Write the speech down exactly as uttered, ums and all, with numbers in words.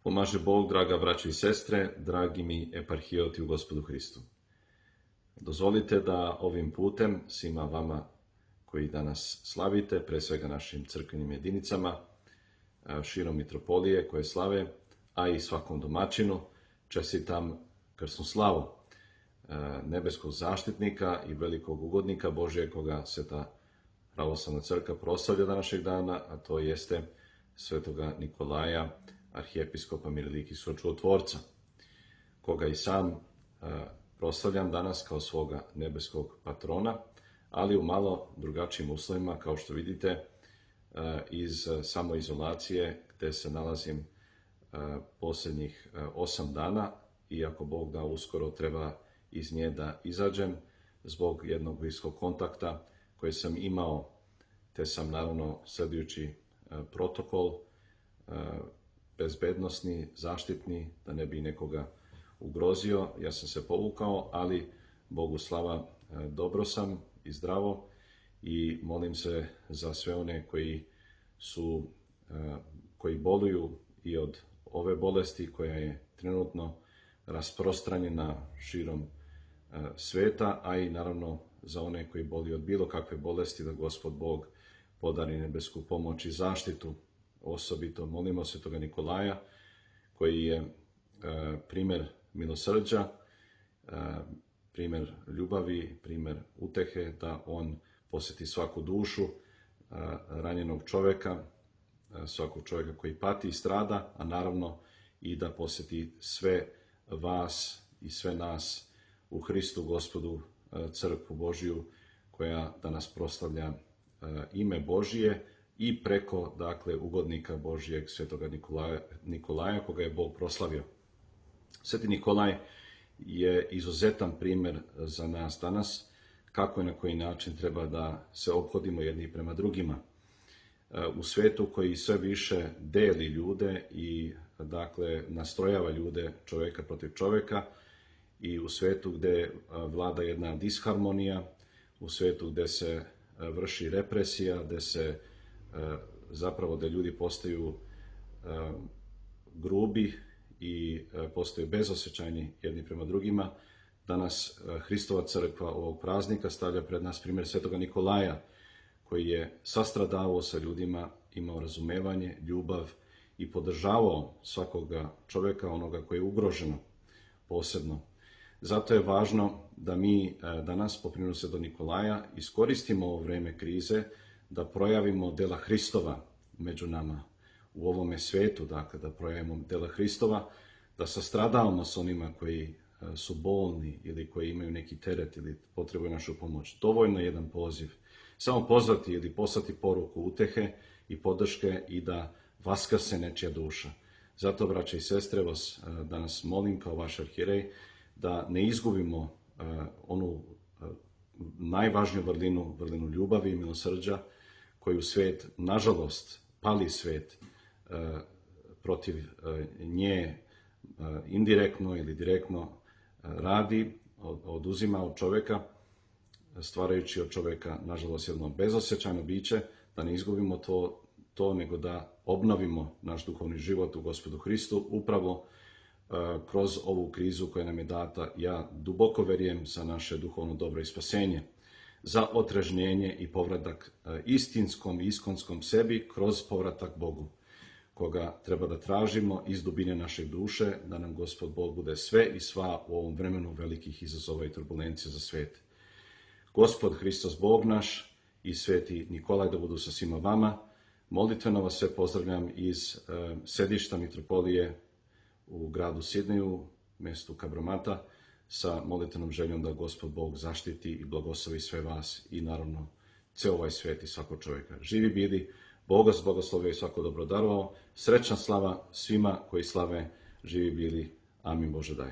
Pomaže Bog, draga braćo i sestre, dragi mi eparhijoti u Gospodu Hristu. Dozvolite da ovim putem svima vama koji danas slavite, pre svega našim crkvenim jedinicama, širom mitropolije koje slave, a i svakom domaćinu, čestitam krsnu slavu nebeskog zaštitnika i velikog ugodnika Božje, koga Sveta pravoslavna crkva proslavlja današnjeg dana, a to jeste svetoga Nikolaja, arhijepiskopa Mirolikijskog čudotvorca, koga i sam proslavljam danas kao svoga nebeskog patrona, ali u malo drugačijim uslovima, kao što vidite, iz samoizolacije gde se nalazim posljednjih osam dana, iako Bog da uskoro treba iz nje da izađem zbog jednog bliskog kontakta koji sam imao, te sam naravno sledujući protokol bezbednosni, zaštitni, da ne bi nekoga ugrozio, ja sam se povukao, ali Bogu slava, dobro sam i zdravo i molim se za sve one koji su, koji boluju i od ove bolesti koja je trenutno rasprostranjena širom sveta, a i naravno za one koji boluju od bilo kakve bolesti, da Gospod Bog podari nebesku pomoć i zaštitu. Osobito molimo svetoga Nikolaja, koji je primer milosrđa, primer ljubavi, primer utehe, da on posjeti svaku dušu ranjenog čoveka, svakog čovjeka koji pati i strada, a naravno i da posjeti sve vas i sve nas u Hristu Gospodu, crkvu Božiju, koja danas proslavlja ime Božije i preko, dakle, ugodnika Božijeg, svetoga Nikolaja, Nikolaja, koga je Bog proslavio. Sveti Nikolaj je izuzetan primjer za nas danas, kako i na koji način treba da se ophodimo jedni prema drugima. U svetu koji sve više deli ljude i, dakle, nastrojava ljude čovjeka protiv čovjeka, i u svetu gde vlada jedna disharmonija, u svetu gde se vrši represija, gde se zapravo da ljudi postaju grubi i postaju bezosjećajni jedni prema drugima, danas Hristova crkva ovog praznika stavlja pred nas primjer svetoga Nikolaja, koji je sastradavao sa ljudima, imao razumevanje, ljubav i podržavao svakoga čovjeka, onoga koji je ugroženo posebno. Zato je važno da mi danas po primjeru svetog Nikolaja iskoristimo ovo vreme krize, da projavimo dela Hristova među nama u ovome svetu, dakle da projavimo dela Hristova, da sastradavamo s onima koji su bolni ili koji imaju neki teret ili potrebuju našu pomoć. Dovoljno je jedan poziv. Samo pozvati ili poslati poruku utehe i podrške i da vaskrse nečija duša. Zato, braće i sestre, vas danas molim kao vaš arhijerej da ne izgubimo onu najvažniju vrlinu, vrlinu ljubavi i milosrđa, koju svet, nažalost, pali svet protiv nje indirektno ili direktno radi, oduzima od čovjeka, stvarajući od čovjeka, nažalost, jedno bezosjećajno biće, da ne izgubimo to, to, nego da obnovimo naš duhovni život u Gospodu Hristu, upravo kroz ovu krizu koja nam je data, ja duboko verujem, za naše duhovno dobro i spasenje, za otrežnjenje i povratak istinskom i iskonskom sebi kroz povratak Bogu, koga treba da tražimo iz dubine naše duše, da nam Gospod Bog bude sve i sva u ovom vremenu velikih izazova i turbulencija za svet. Gospod Hristos Bog naš i sveti Nikolaj da budu sa svima vama. Molitveno vas sve pozdravljam iz e, sedišta mitropolije u gradu Sidneju, mjestu Kabromata, sa molitvenom željom da Gospod Bog zaštiti i blagoslovi sve vas i naravno ceo ovaj svet i svakog čovjeka. Živi bili, Bog vas blagoslovio i svako dobro darovao. Srećna slava svima koji slave, živi bili. Amin Bože daj.